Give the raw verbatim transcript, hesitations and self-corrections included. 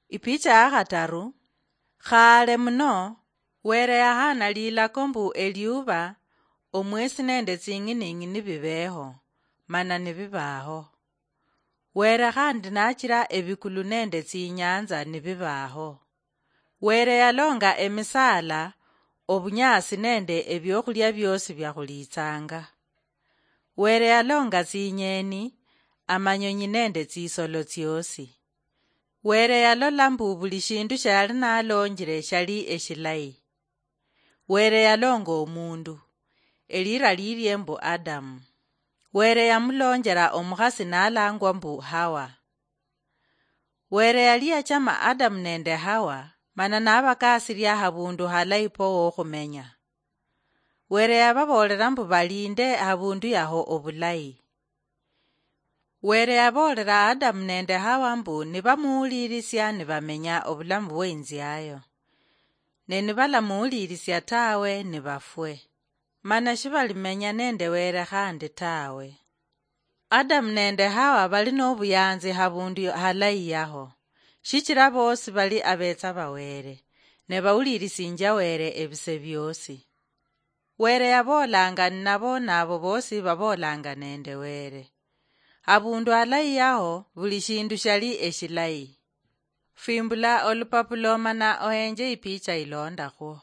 Ipicha ya khataru. Khale muno, Were yahaana lilako mbu eliuba, omwesi nende tsing'ining'ini bibeho, mana nibibaho. Were khandi nachira ebikulu nende tsinyanza nibibaho. Were yalonga emisaala, obunyaasi nende ebiokhulia biosi biakhulitsanga. Were yalonga tsinyeni, amanyonyi nende tsisolo tsiosi. Were yalola mbu buli shindu shiali nalonjile shali eshilayi. Were yalonga omundu, elira lilie mbu Adamu. Were yamulonjela omukhasi nalangwa mbu Hawa. Were yali yachama Adamu nende Hawa, mana nabakasilia habundu halayi po wokhumenya. Were yababoolera mbu balinde habundu yaho obulayi. Were yaboolera Adamu nende Hawa mbu nibamuwulirisia nibamenya obulamu bweinziayo. Ne nibalamuwulirisia tawe, nibafwe. Mana shibalimenya nende Were khandi tawe. Adamu nende Hawa bali nobuyanzi habundu halayi yaho, shichira bosi bali abetsa ba Were, ne bawulirisinjia Were ebise biosi. Were yaboolanga ninabo, nabo bosi baboolanga nende Were. Habundu halayi yaho, buli shindu shali eshilayi. Fimbula olupapula mana ohenje ipicha ilondakhwo.